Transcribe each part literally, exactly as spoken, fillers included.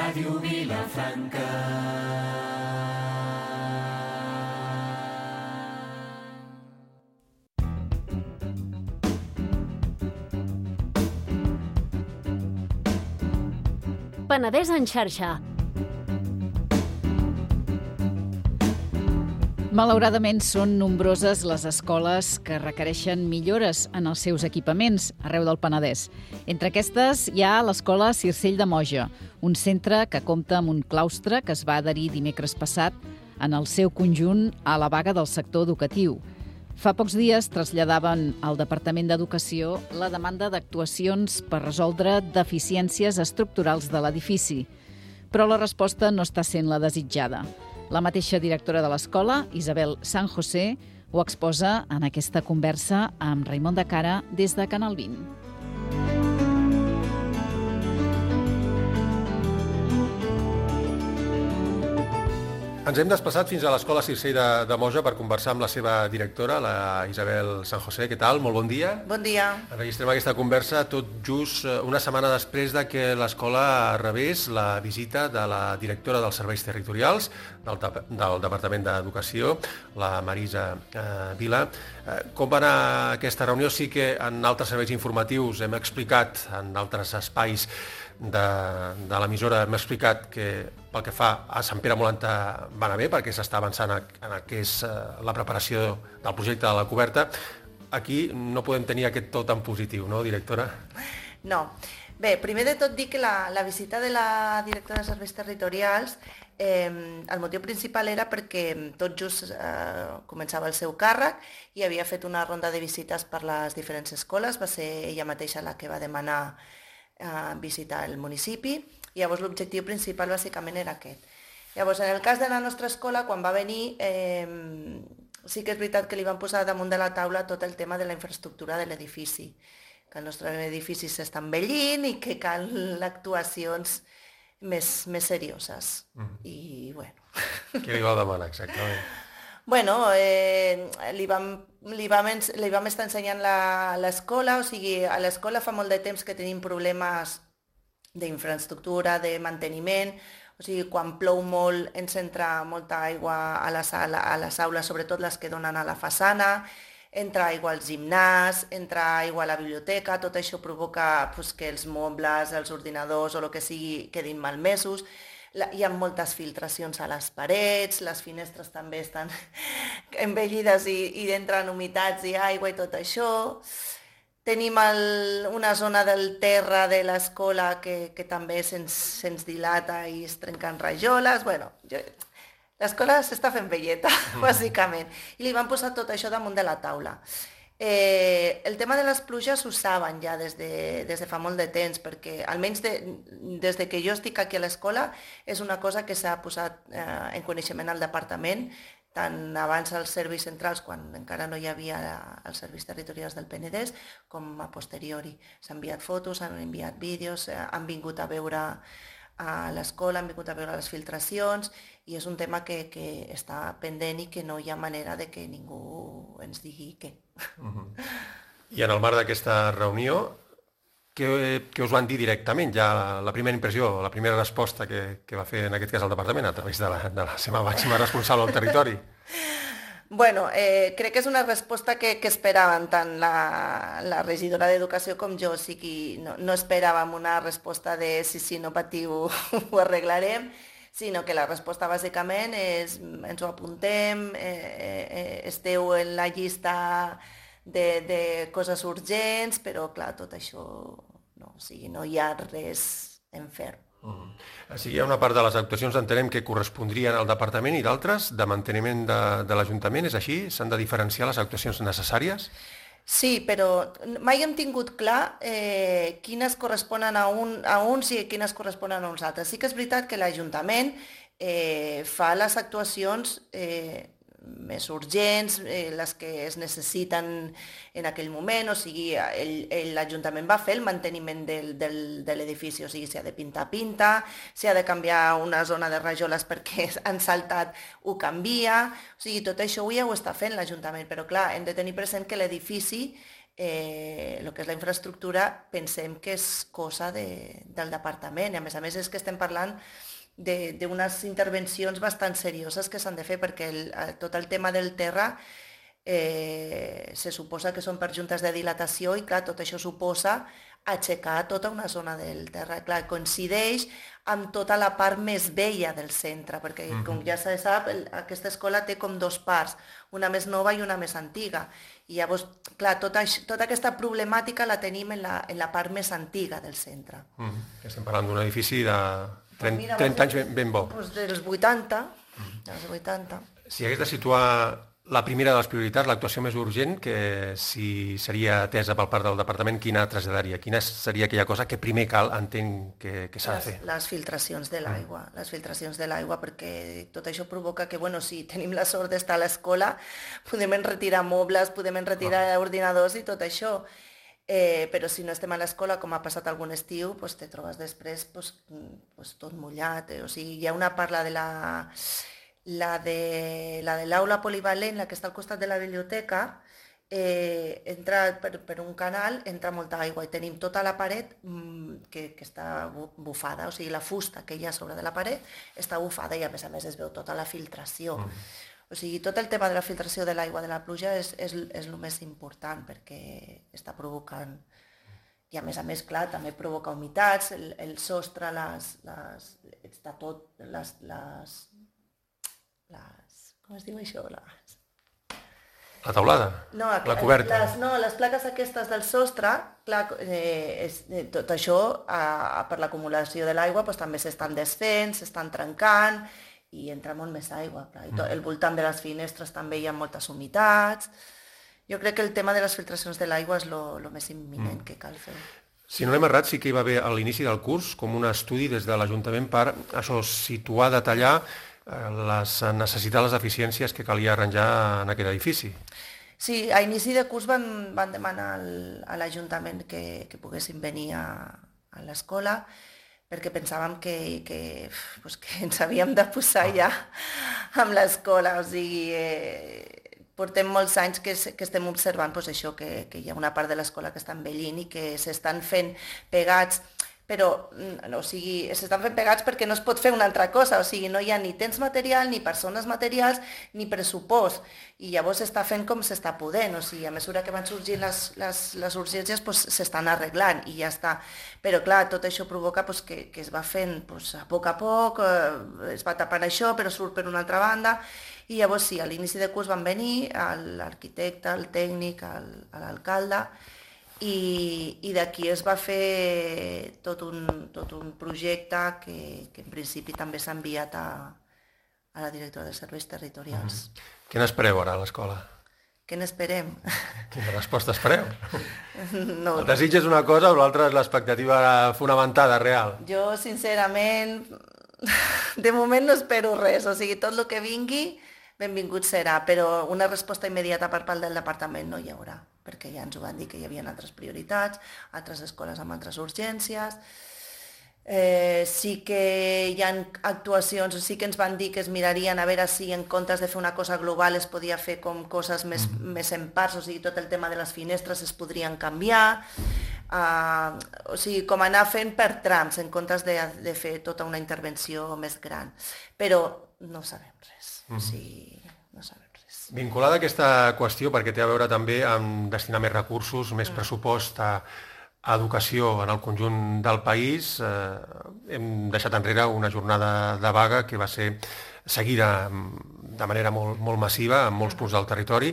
Ràdio Vilafranca. Penedès en xarxa. Malauradament, són nombroses les escoles que requereixen millores en els seus equipaments arreu del Penedès. Entre aquestes hi ha l'Escola Circell de Moja, un centre que compta amb un claustre que es va adherir dimecres passat en el seu conjunt a la vaga del sector educatiu. Fa pocs dies traslladaven al Departament d'Educació la demanda d'actuacions per resoldre deficiències estructurals de l'edifici, però la resposta no està sent la desitjada. La mateixa directora de l'escola, Isabel San José, ho exposa en aquesta conversa amb Raimon de Cara des de Canal vint. Ens hem desplaçat fins a l'Escola Circell de, de Moja per conversar amb la seva directora, la Isabel San José. Què tal? Molt bon dia. Bon dia. Enregistrem aquesta conversa tot just una setmana després de que l'escola rebés la visita de la directora dels serveis territorials del, del Departament d'Educació, la Marisa eh, Vila. Eh, com va anar aquesta reunió? Sí que en altres serveis informatius hem explicat, en altres espais de, de l'emissora hem explicat que pel que fa a Sant Pere Molanta va anar bé, perquè s'està avançant en el que és la preparació del projecte de la coberta. Aquí no podem tenir aquest to tan positiu, no, directora? No. Bé, primer de tot dir que la, la visita de la directora de serveis territorials, eh, el motiu principal era perquè tot just eh, començava el seu càrrec i havia fet una ronda de visites per les diferents escoles. Va ser ella mateixa la que va demanar a visitar el municipi, i llavors l'objectiu principal bàsicament era aquest. Llavors, en el cas de la nostra escola, quan va venir, eh, sí que és veritat que li van posar damunt de la taula tot el tema de la infraestructura de l'edifici, que el nostre edifici s'està envellint i que cal actuacions més, més serioses. Mm. I, bueno... Què li va demanar exactament? Bueno, eh, li, vam, li, vam, li vam estar ensenyant l'escola, o sigui, a l'escola fa molt de temps que tenim problemes d'infraestructura, de manteniment, o sigui, quan plou molt ens entra molta aigua a les, a les aules, sobretot les que donen a la façana, entra aigua al gimnàs, entra aigua a la biblioteca, tot això provoca pues, que els mobles, els ordinadors o el que sigui quedin malmesos. Hi ha moltes filtracions a les parets, les finestres també estan envellides i, i entren humitats i aigua i tot això. Tenim el, una zona del terra de l'escola que, que també se'ns se dilata i es trenquen rajoles. Bueno, jo, l'escola s'està fent velleta, bàsicament. I li van posar tot això damunt de la taula. Eh, el tema de les pluges ho saben ja des de, des de fa molt de temps, perquè almenys de, des de que jo estic aquí a l'escola és una cosa que s'ha posat eh, en coneixement al departament, tant abans als serveis centrals, quan encara no hi havia els serveis territorials del Penedès, com a posteriori. S'han enviat fotos, s'han enviat vídeos, eh, han vingut a veure a l'escola, han vingut a veure les filtracions, i és un tema que, que està pendent i que no hi ha manera de que ningú ens digui què. Uh-huh. I en el marc d'aquesta reunió, què, què us van dir directament? Ja la primera impressió, la primera resposta que, que va fer en aquest cas el departament a través de la, de la seva màxima responsable al territori? Bueno, eh, crec que és una resposta que, que esperaven tant la, la regidora d'Educació com jo, o sigui, no, no esperàvem una resposta de sí, sí, no patiu, ho arreglarem, sinó que la resposta bàsicament és ens ho apuntem, eh, eh, esteu en la llista de, de coses urgents, però clar, tot això no, o sigui, no hi ha res en ferm. Uh-huh. O sigui, hi ha una part de les actuacions, entenem, que correspondrien al departament i d'altres de manteniment de, de l'Ajuntament, és així? S'han de diferenciar les actuacions necessàries? Sí, però mai hem tingut clar eh, quines corresponen a, un, a uns i quines corresponen a uns altres. Sí que és veritat que l'Ajuntament eh, fa les actuacions eh, més urgents, eh, les que es necessiten en aquell moment, o sigui, l'Ajuntament va fer el manteniment del, del, de l'edifici, o sigui, s'ha de pintar, pinta, s'ha de canviar una zona de rajoles perquè han saltat, ho canvia, o sigui, tot això avui ja ho està fent l'Ajuntament, però clar, hem de tenir present que l'edifici eh, el que és la infraestructura pensem que és cosa de, del departament. I a més a més és que estem parlant d'unes intervencions bastant serioses que s'han de fer, perquè el, tot el tema del terra eh, se suposa que són per juntes de dilatació i clar, tot això suposa aixecar tota una zona del terra. Clar, coincideix amb tota la part més vella del centre, perquè mm-hmm. com ja se sap, aquesta escola té com dos parts, una més nova i una més antiga. I llavors, clar, tota, tota aquesta problemàtica la tenim en la, en la part més antiga del centre. Mm-hmm. Estem parlant d'un edifici de trenta, Mira, trenta anys ben, ben bo. Doncs dels vuitanta, mm-hmm. dels vuitanta. Si hagués de situar la primera de les prioritats, l'actuació més urgent, que si seria atesa pel part del departament, quina traslladaria? Quina seria aquella cosa que primer cal, entenc, que, que s'ha de fer? Les filtracions de l'aigua, mm. les filtracions de l'aigua, perquè tot això provoca que, bueno, si tenim la sort d'estar a l'escola, podem enretirar mobles, podem enretirar oh. ordinadors i tot això. Eh, però si no estem a l'escola, com ha passat algun estiu, pues, te trobes després pues, pues, tot mullat. Eh? O sigui, hi ha una parla de la... La de la de l'aula polivalent, la que està al costat de la biblioteca, eh, entra per, per un canal, entra molta aigua i tenim tota la paret mmm, que, que està bufada, o sigui, la fusta que hi ha sobre de la paret està bufada i a més a més es veu tota la filtració. Mm. O sigui, tot el tema de la filtració de l'aigua de la pluja és, és, és el més important perquè està provocant. I a més a més, clar, també provoca humitats, el, el sostre, les, les, està tot, les... les Les, com es diu això? Les... La teulada? No, la coberta? Les, no, les plaques aquestes del sostre, clar, eh, és, eh, tot això, eh, per l'acumulació de l'aigua, doncs, també s'estan desfent, s'estan trencant i entra molt més aigua. Clar. I tot, el voltant de les finestres també hi ha moltes humitats. Jo crec que el tema de les filtracions de l'aigua és el més imminent mm. que cal fer. Si no l'hem errat, sí que hi va haver a l'inici del curs com un estudi des de l'Ajuntament per això situar, detallar les necessitats, les eficiències que calia arranjar en aquest edifici. Sí, a inici de curs van, van demanar al, a l'Ajuntament que, que poguessin venir a, a l'escola perquè pensàvem que, que, pues, que ens havíem de posar ja amb l'escola. O sigui, eh, portem molts anys que, que estem observant pues, això, que, que hi ha una part de l'escola que està envellint i que s'estan fent pegats, però o sigui, s'estan fent pegats perquè no es pot fer una altra cosa, o sigui, no hi ha ni temps material, ni persones materials, ni pressupost, i llavors s'està fent com s'està podent, o sigui, a mesura que van sorgint les, les, les urgències pues, s'estan arreglant i ja està. Però clar, tot això provoca pues, que, que es va fent pues, a poc a poc, eh, es va tapant això, però surt per una altra banda, i llavors sí, a l'inici de curs van venir l'arquitecte, el tècnic, l'alcalde, i, i d'aquí es va fer tot un, tot un projecte que, que en principi també s'ha enviat a, a la directora de serveis territorials. Mm. Què n'espereu ara a l'escola? Què n'esperem? Quina resposta espereu? No, el desig és una cosa o l'altra és l'expectativa fonamentada, real? Jo, sincerament, de moment no espero res, o sigui, tot el que vingui, benvingut serà, però una resposta immediata per part del departament no hi haurà, perquè ja ens ho van dir que hi havia altres prioritats, altres escoles amb altres urgències. Eh, sí que hi ha actuacions, sí que ens van dir que es mirarien a veure si en comptes de fer una cosa global es podia fer com coses més, mm. més en parts, o sigui, tot el tema de les finestres es podrien canviar, uh, o sigui, com anar fent per trams en comptes de, de fer tota una intervenció més gran. Però no sabem res, mm. o sigui, no sabem. Vinculada a aquesta qüestió, perquè té a veure també amb destinar més recursos, més pressupost a, a educació en el conjunt del país, eh, hem deixat enrere una jornada de vaga que va ser seguida de manera molt, molt massiva en molts punts del territori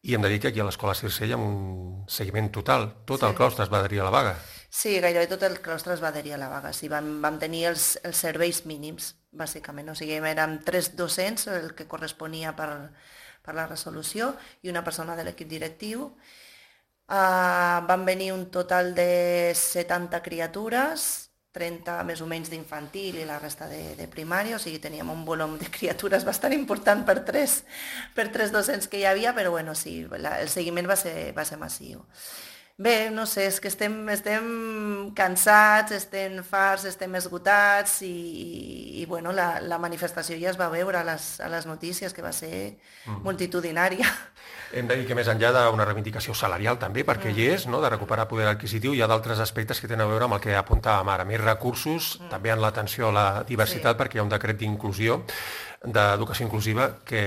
i hem de dir que aquí a l'Escola Circell amb un seguiment total. Tot sí. El claustre es va adherir a la vaga. Sí, gairebé tot el claustre es va adherir a la vaga. Sí, vam, vam tenir els, els serveis mínims, bàsicament. O sigui, érem tres docents, el que corresponia per... per la resolució, i una persona de l'equip directiu. Uh, van venir un total de setanta criatures, trenta més o menys d'infantil i la resta de, de primària, o sigui, teníem un volum de criatures bastant important per tres, per tres docents que hi havia, però bueno, sí, la, el seguiment va ser, va ser massiu. Bé, no sé, és que estem, estem cansats, estem farts, estem esgotats i, i bueno, la, la manifestació ja es va veure a les, a les notícies, que va ser mm. multitudinària. Hem de dir que més enllà d'una reivindicació salarial també, perquè mm. hi és, no?, de recuperar poder adquisitiu, hi ha d'altres aspectes que tenen a veure amb el que apuntàvem ara, més recursos, mm. també en l'atenció a la diversitat, sí. perquè hi ha un decret d'inclusió, d'educació inclusiva, que...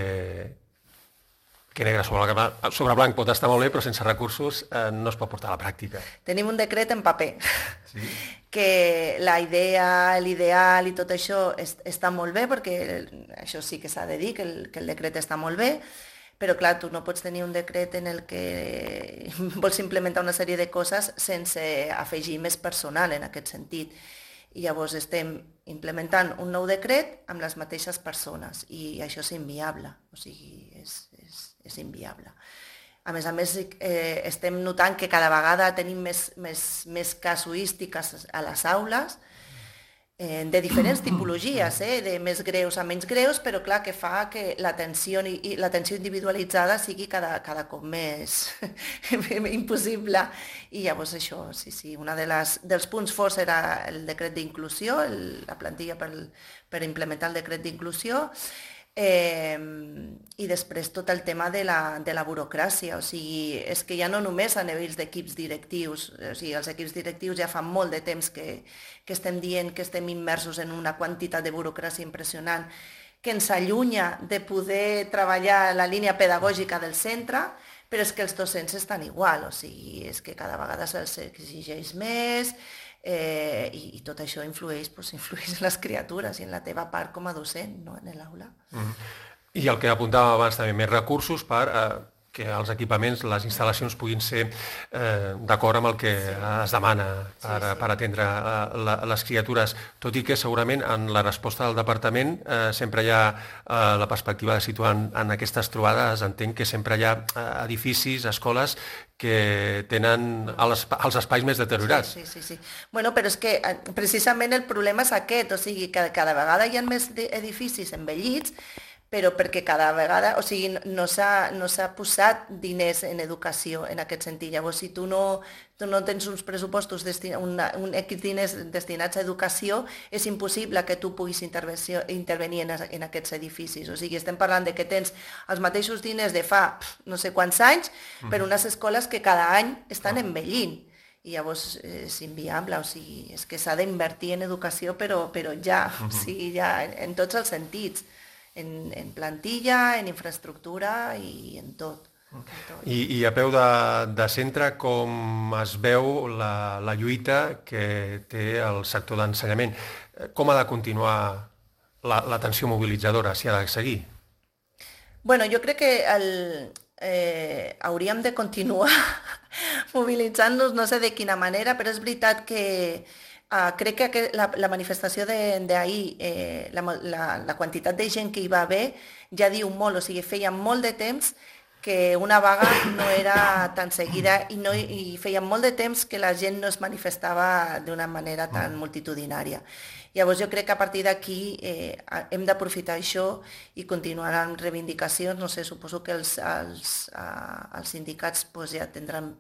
que negre sobre, sobre blanc pot estar molt bé, però sense recursos eh, no es pot portar a la pràctica. Tenim un decret en paper, sí? que la idea, l'ideal i tot això es, està molt bé, perquè això sí que s'ha de dir, que el, que el decret està molt bé, però clar, tu no pots tenir un decret en el que vols implementar una sèrie de coses sense afegir més personal en aquest sentit. I llavors estem implementant un nou decret amb les mateixes persones i això és inviable, o sigui, és, és, és inviable. A més a més, eh, estem notant que cada vegada tenim més, més, més casuístiques a les aules, eh, de diferents tipologies, eh, de més greus a menys greus, però clar, que fa que l'atenció i l'atenció individualitzada sigui cada, cada cop més impossible. I llavors això, sí, sí, un de les, dels punts forts era el decret d'inclusió, la plantilla per, per implementar el decret d'inclusió, Eh, i després tot el tema de la, de la burocràcia, o sigui, és que ja no només a nivells d'equips directius, o sigui, els equips directius ja fa molt de temps que, que estem dient que estem immersos en una quantitat de burocràcia impressionant que ens allunya de poder treballar la línia pedagògica del centre, però és que els docents estan igual, o sigui, és que cada vegada se'ls exigeix més, Eh, i, i tot això influeix, doncs, influeix en les criatures i en la teva part com a docent, no?, en l'aula. Mm-hmm. I el que apuntàvem abans també, més recursos per eh, que els equipaments, les instal·lacions puguin ser eh, d'acord amb el que sí. es demana per, sí, sí. per atendre eh, la, les criatures, tot i que segurament en la resposta del departament eh, sempre hi ha eh, la perspectiva de situar en, en aquestes trobades, entenc que sempre hi ha eh, edificis, escoles que tenen els, els espais més deteriorats. Sí, sí, sí, sí. Bueno, però és que precisament el problema és aquest, o sigui, que cada vegada hi ha més edificis envellits, però perquè cada vegada, o sigui, no s'ha no s'ha posat diners en educació en aquest sentit. Llavors, si tu no, tu no tens uns pressupostos, una, un equip diners destinats a educació, és impossible que tu puguis intervenir en, en aquests edificis. O sigui, estem parlant de que tens els mateixos diners de fa no sé quants anys per unes escoles que cada any estan envellint. I llavors és inviable, o sigui, és que s'ha d'invertir en educació, però, però ja, o sigui, ja en tots els sentits. En, en plantilla, en infraestructura i en tot. En tot. I, I a peu de, de centre, com es veu la, la lluita que té el sector d'ensenyament? Com ha de continuar l'atenció la, mobilitzadora, si ha de seguir? Bueno, jo crec que el, eh, hauríem de continuar mobilitzant-nos, no sé de quina manera, però és veritat que Uh, crec que la, la manifestació d'ahir, eh, la, la, la quantitat de gent que hi va haver ja diu molt, o sigui, feia molt de temps que una vaga no era tan seguida i, no, i feia molt de temps que la gent no es manifestava d'una manera tan multitudinària. Llavors jo crec que a partir d'aquí eh, hem d'aprofitar això i continuar amb reivindicacions. No sé, suposo que els, els, uh, els sindicats pues, ja tindran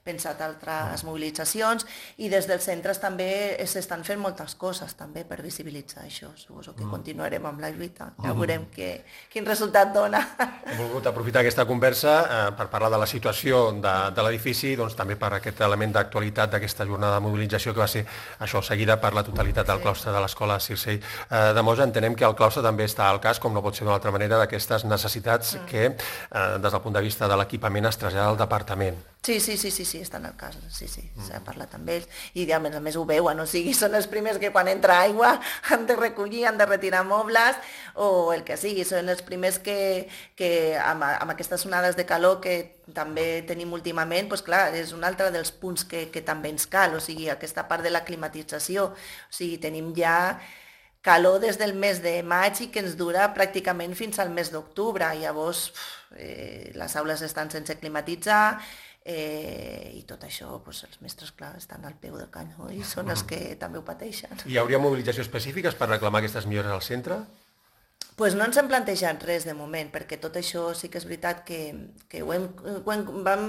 pensat altres mobilitzacions i des dels centres també s'estan fent moltes coses també per visibilitzar això. Suposo que continuarem amb la lluita, ja veurem que, quin resultat dona. Hem volgut aprofitar aquesta conversa eh, per parlar de la situació de, de l'edifici, doncs també per aquest element d'actualitat d'aquesta jornada de mobilització que va ser això, seguida per la totalitat del sí. claustre de l'escola Circell eh, de Moja. Entenem que el claustre també està al cas, com no pot ser d'una altra manera, d'aquestes necessitats mm. que eh, des del punt de vista de l'equipament es trasllada al departament. Sí, sí, sí, sí, sí, està en el cas, sí, sí, mm. s'ha parlat amb ells i a més a més ho veuen, o sigui, són els primers que quan entra aigua han de recollir, han de retirar mobles o el que sigui, són els primers que, que amb, amb aquestes onades de calor que també tenim últimament, doncs clar, és un altre dels punts que, que també ens cal, o sigui, aquesta part de la climatització, o sigui, tenim ja calor des del mes de maig i que ens dura pràcticament fins al mes d'octubre, llavors eh, les aules estan sense climatitzar, Eh, i tot això, doncs, els mestres, clar, estan al peu del canyó i són els que també ho pateixen. Hi hauria mobilització específiques per reclamar aquestes millores al centre? Pues no ens hem plantejat res de moment, perquè tot això sí que és veritat que, que ho hem, ho hem, vam,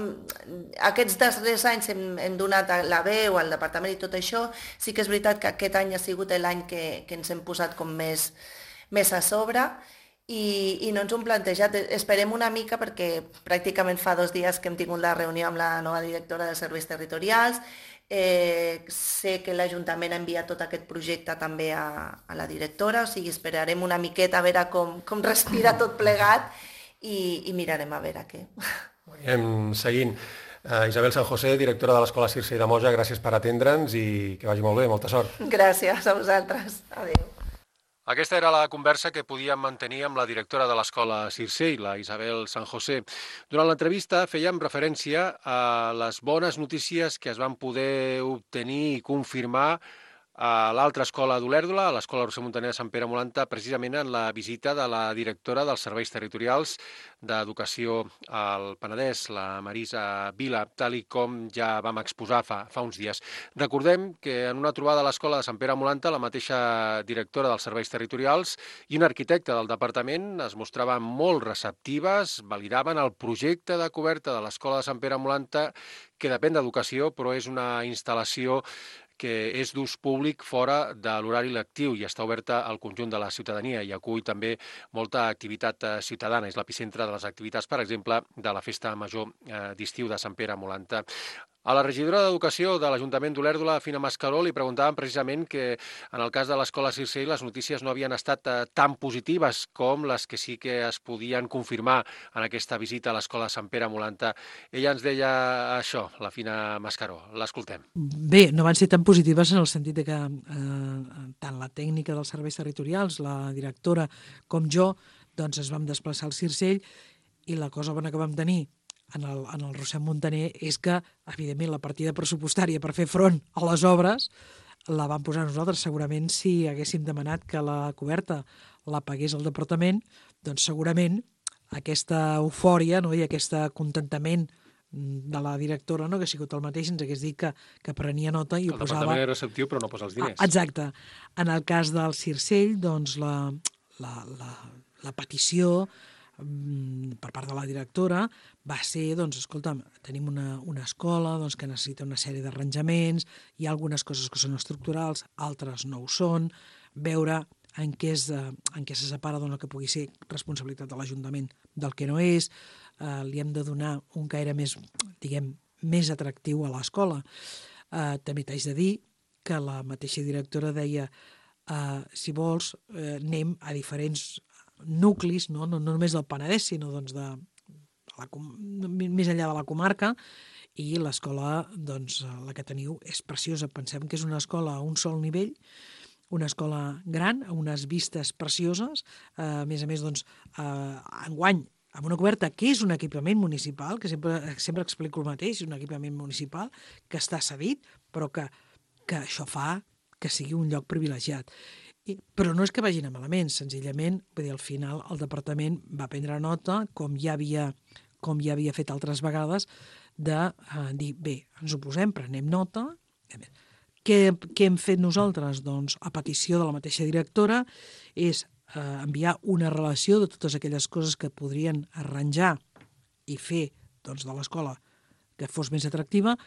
aquests darrers anys hem, hem donat la veu al departament i tot això, sí que és veritat que aquest any ha sigut l'any que, que ens hem posat com més, més a sobre i, i no ens ho hem plantejat. Esperem una mica perquè pràcticament fa dos dies que hem tingut la reunió amb la nova directora de serveis territorials. Eh, sé que l'Ajuntament ha enviat tot aquest projecte també a, a la directora, o sigui, esperarem una miqueta a veure com, com respira tot plegat i, i mirarem a veure què. Anem seguint. Uh, Isabel San José, directora de l'Escola Circell de Moja, gràcies per atendre'ns i que vagi molt bé, molta sort. Gràcies a vosaltres. Adéu. Aquesta era la conversa que podíem mantenir amb la directora de l'Escola Circell, la Isabel San José. Durant l'entrevista fèiem referència a les bones notícies que es van poder obtenir i confirmar a l'altra escola d'Olèrdola, a l'Escola Roser Muntaner de Sant Pere Molanta, precisament en la visita de la directora dels Serveis Territorials d'Educació al Penedès, la Marisa Vila, tal i com ja vam exposar fa, fa uns dies. Recordem que en una trobada a l'Escola de Sant Pere Molanta, la mateixa directora dels Serveis Territorials i un arquitecte del departament es mostraven molt receptives, validaven el projecte de coberta de l'Escola de Sant Pere Molanta, que depèn d'Educació, però és una instal·lació que és d'ús públic fora de l'horari lectiu i està oberta al conjunt de la ciutadania i acull també molta activitat ciutadana. És l'epicentre de les activitats, per exemple, de la Festa Major d'Estiu de Sant Pere Molanta. A la regidora d'Educació de l'Ajuntament d'Olèrdola, Fina Mascaró, li preguntàvem precisament que en el cas de l'Escola Circell les notícies no havien estat tan positives com les que sí que es podien confirmar en aquesta visita a l'Escola de Sant Pere Molanta. Ella ens deia això, la Fina Mascaró. L'escoltem. Bé, no van ser tan positives en el sentit de que eh, tant la tècnica dels serveis territorials, la directora, com jo, doncs es vam desplaçar al Circell i la cosa bona que vam tenir en el, en el Roser Muntaner és que, evidentment, la partida pressupostària per fer front a les obres la vam posar nosaltres. Segurament, si haguéssim demanat que la coberta la pagués el departament, doncs segurament aquesta eufòria, no, i aquest contentament de la directora, no, que ha sigut el mateix, ens hagués dit que, que prenia nota i ho posava... El departament és receptiu, però no posa els diners. Ah, exacte. En el cas del Circell, doncs, la, la, la, la petició per part de la directora va ser, doncs, escolta'm, tenim una, una escola doncs, que necessita una sèrie d'arranjaments, hi ha algunes coses que són estructurals, altres no ho són, veure en què, és, en què se separa doncs, el que pugui ser responsabilitat de l'Ajuntament del que no és, eh, li hem de donar un caire més, diguem, més atractiu a l'escola. Eh, també t'haig de dir que la mateixa directora deia eh, si vols, eh, anem a diferents nuclis, no, no, no només del Penedès, sinó doncs, de, de la, més enllà de la comarca, i l'escola, doncs, la que teniu, és preciosa. Pensem que és una escola a un sol nivell, una escola gran, amb unes vistes precioses, eh, a més a més, doncs, eh, enguany, amb una coberta que és un equipament municipal, que sempre, sempre explico el mateix, un equipament municipal que està cedit, però que, que això fa que sigui un lloc privilegiat. I, però no és que vagin a malament, senzillament, vull dir, al final el departament va prendre nota, com ja havia, com ja havia fet altres vegades, de eh, dir, bé, ens ho posem, prenem nota. Què, què hem fet nosaltres? Doncs, a petició de la mateixa directora, és eh, enviar una relació de totes aquelles coses que podrien arranjar i fer doncs, de l'escola que fos més atractiva,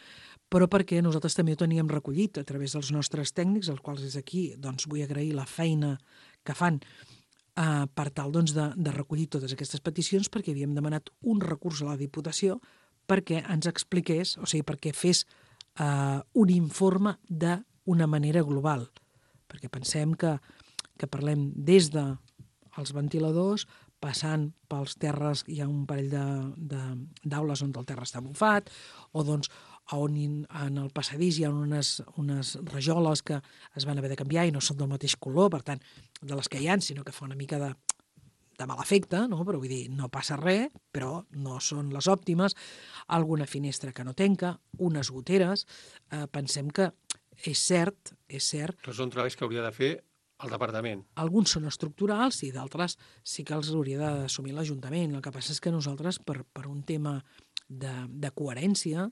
però perquè nosaltres també ho teníem recollit a través dels nostres tècnics, als quals des d'aquí doncs, vull agrair la feina que fan eh, per tal doncs, de, de recollir totes aquestes peticions, perquè havíem demanat un recurs a la Diputació perquè ens expliqués, o sigui, perquè fes eh, un informe d'una manera global. Perquè pensem que, que parlem des de els ventiladors, passant pels terres, hi ha un parell d'aules on el terra està bufat, o doncs on en el passadís hi ha unes, unes rajoles que es van haver de canviar i no són del mateix color, per tant, de les que hi ha, sinó que fa una mica de, de mal efecte, no? Però vull dir, no passa res, però no són les òptimes, alguna finestra que no tanca, unes goteres, eh, pensem que és cert, és cert... Tots són treballs que hauria de fer el departament. Alguns són estructurals i d'altres sí que els hauria d'assumir l'Ajuntament. El que passa és que nosaltres, per, per un tema de, de coherència,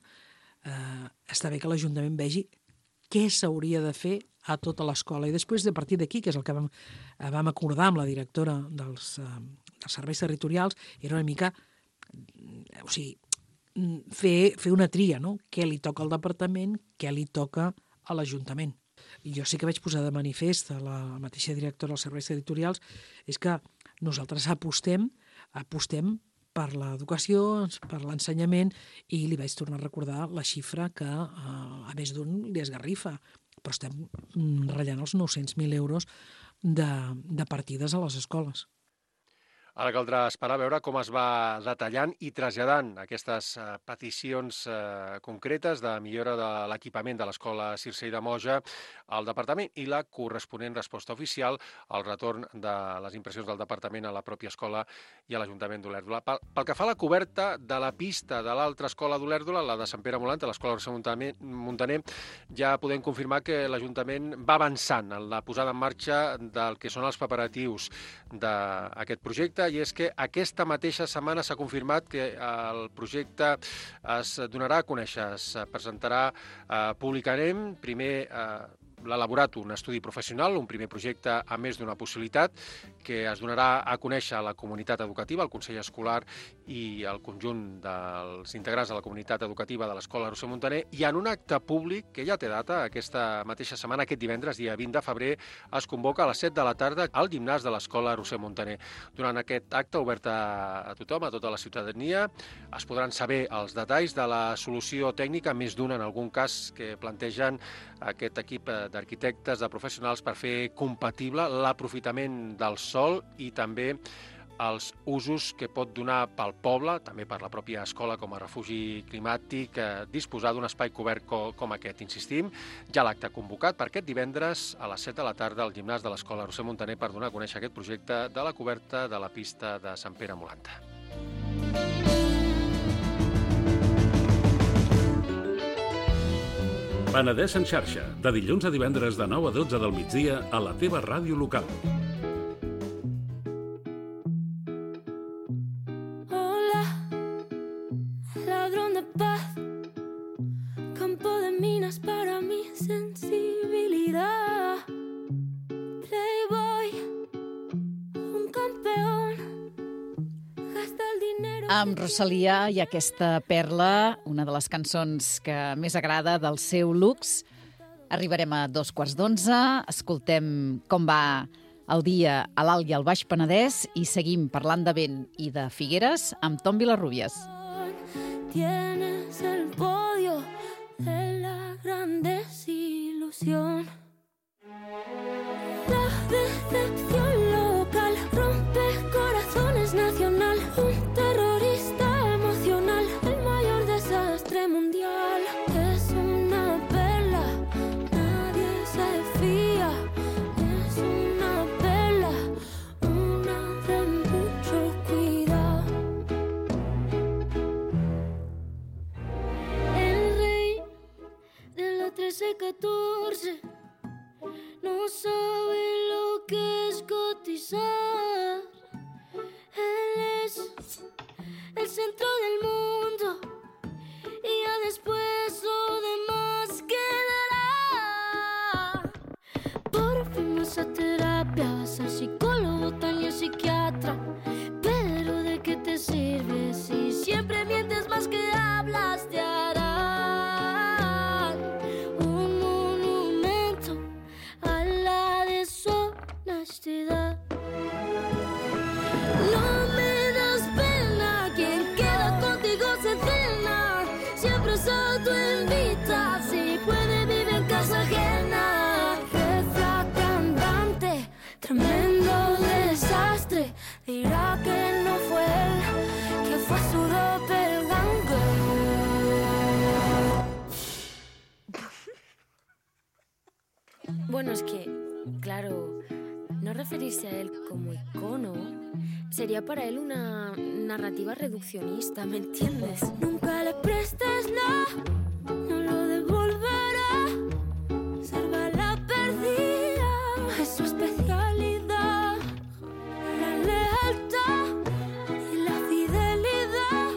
eh, està bé que l'Ajuntament vegi què s'hauria de fer a tota l'escola. I després, de partir d'aquí, que és el que vam, vam acordar amb la directora dels, eh, dels serveis territorials, era una mica, o sigui, fer, fer una tria, no? Què li toca al departament, què li toca a l'Ajuntament. I jo sí que vaig posar de manifest a la mateixa directora dels serveis territorials és que nosaltres apostem, apostem per l'educació, per l'ensenyament, i li vaig tornar a recordar la xifra que a més d'un li esgarrifa, però estem ratllant els nou-cents mil euros de, de partides a les escoles. Ara caldrà esperar a veure com es va detallant i traslladant aquestes eh, peticions eh, concretes de millora de l'equipament de l'Escola Circell de Moja al Departament i la corresponent resposta oficial al retorn de les impressions del Departament a la pròpia escola i a l'Ajuntament d'Olèrdola. Pel, pel que fa a la coberta de la pista de l'altra escola d'Olèrdola, la de Sant Pere Molant, l'Escola Roser Muntaner, ja podem confirmar que l'Ajuntament va avançant en la posada en marxa del que són els preparatius d'aquest projecte, i és que aquesta mateixa setmana s'ha confirmat que el projecte es donarà a conèixer, es presentarà eh, públicament, primer eh, l'ha elaborat un estudi professional, un primer projecte a més d'una possibilitat, que es donarà a conèixer a la comunitat educativa, al Consell Escolar i al conjunt dels integrants de la comunitat educativa de l'Escola Roser Muntaner, i en un acte públic que ja té data, aquesta mateixa setmana, aquest divendres, dia vint de febrer, es convoca a les set de la tarda al gimnàs de l'Escola Roser Muntaner. Durant aquest acte, obert a tothom, a tota la ciutadania, es podran saber els detalls de la solució tècnica, més d'una en algun cas, que plantegen aquest equip d'arquitectes, de professionals, per fer compatible l'aprofitament del sòl i també els usos que pot donar pel poble, també per la pròpia escola com a refugi climàtic, eh, disposar d'un espai cobert co com aquest. Insistim, ja l'acte convocat per aquest divendres a les set de la tarda al gimnàs de l'Escola Roser Muntaner per donar a conèixer aquest projecte de la coberta de la pista de Sant Pere Molant. Penedès en xarxa, de dilluns a divendres de nou a dotze del migdia a la teva ràdio local. Hola, ladrón de paz, campo de minas para mi sensibilidad. Playboy, un campeón, gasta el dinero... Amb Rosalia i aquesta perla, una de les cançons que més agrada del seu Lux. Arribarem a dos quarts d'onze, escoltem com va el dia a l'Alt i al Baix Penedès i seguim parlant de vent i de Figueres amb Tom Vilarrubias. Tienes el podio de la gran desilusión. La decepción local rompe corazones nacional. Un terrorista emocional, el mayor desastre mundial. Es una perla, nadie se fía. Es una perla, una de mucho cuidado. El rey de la trece catorce no sabe lo que es cotizar. Él es el centro del mundo y ya después lo demás quedará. Por fin vas a terapia, vas al psicólogo, también psiquiatra. Pero ¿de qué te sirve si siempre mientes más que hablas? Te harán un monumento a la deshonestidad. No me das pena, quien queda contigo se cena. Siempre es autoinvita, si puede vive en casa ajena. Refracandante, tremendo desastre. Dirá que no fue él, que fue su doppelganger. Bueno, es que, claro, no referirse a él como icono sería para él una narrativa reduccionista, ¿me entiendes? Nunca le prestes la, no lo devolverá. Salva la perdida, es su especialidad. La lealtad y la fidelidad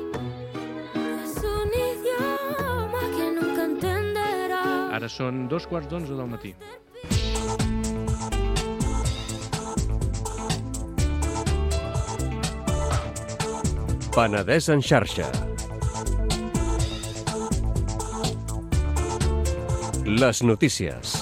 es un idioma que nunca entenderá. Ara són dos quarts d'onze del matí. Penedès en xarxa. Les notícies.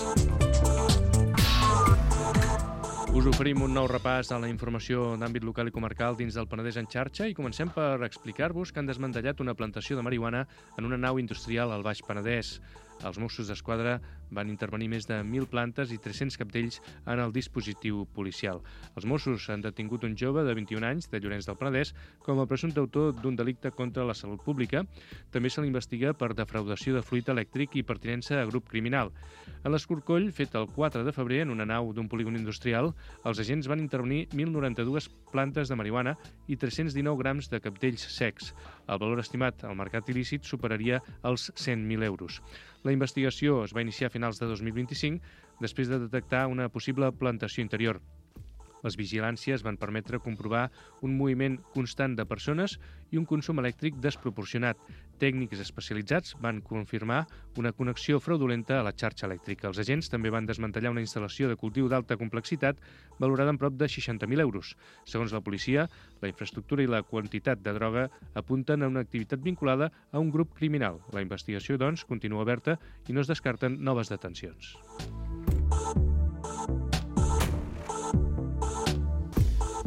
Us oferim un nou repàs a la informació d'àmbit local i comarcal dins del Penedès en xarxa i comencem per explicar-vos que han desmantellat una plantació de marihuana en una nau industrial al Baix Penedès. Els Mossos d'Esquadra van intervenir més de mil plantes i tres-cents capdells en el dispositiu policial. Els Mossos han detingut un jove de vint-i-un anys de Llorenç del Penedès com a presumpte autor d'un delicte contra la salut pública. També se l'investiga per defraudació de fluid elèctric i pertinença a grup criminal. En l'escorcoll, fet el quatre de febrer en una nau d'un polígon industrial, els agents van intervenir mil noranta-dues plantes de marihuana i tres-cents dinou grams de capdells secs. El valor estimat al mercat il·lícit superaria els cent mil euros. La investigació es va iniciar a finals de dos mil vint-i-cinc després de detectar una possible plantació interior. Les vigilàncies van permetre comprovar un moviment constant de persones i un consum elèctric desproporcionat. Tècnics especialitzats van confirmar una connexió fraudulenta a la xarxa elèctrica. Els agents també van desmantellar una instal·lació de cultiu d'alta complexitat valorada en prop de seixanta mil euros. Segons la policia, la infraestructura i la quantitat de droga apunten a una activitat vinculada a un grup criminal. La investigació, doncs, continua oberta i no es descarten noves detencions.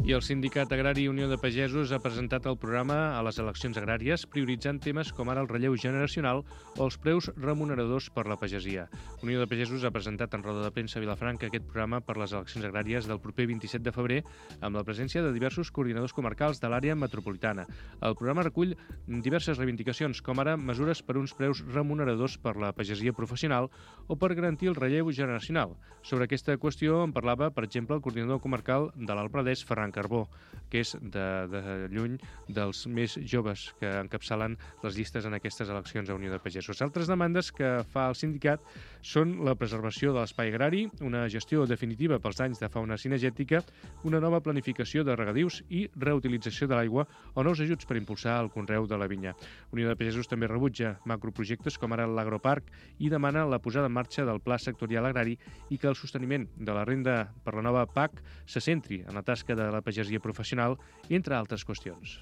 I el Sindicat Agrari Unió de Pagesos ha presentat el programa a les eleccions agràries, prioritzant temes com ara el relleu generacional o els preus remuneradors per la pagesia. Unió de Pagesos ha presentat en roda de premsa a Vilafranca aquest programa per les eleccions agràries del proper vint-i-set de febrer amb la presència de diversos coordinadors comarcals de l'àrea metropolitana. El programa recull diverses reivindicacions, com ara mesures per uns preus remuneradors per la pagesia professional o per garantir el relleu generacional. Sobre aquesta qüestió en parlava, per exemple, el coordinador comarcal de l'Alt Penedès, Ferran Carbó, que és de, de lluny dels més joves que encapçalen les llistes en aquestes eleccions a Unió de Pagesos. Altres demandes que fa el sindicat són la preservació de l'espai agrari, una gestió definitiva pels danys de fauna cinegètica, una nova planificació de regadius i reutilització de l'aigua o nous ajuts per impulsar el conreu de la vinya. Unió de Pagesos també rebutja macroprojectes com ara l'agroparc i demana la posada en marxa del Pla Sectorial Agrari i que el sosteniment de la renda per la nova P A C se centri en la tasca de la pagesia professional, entre altres qüestions.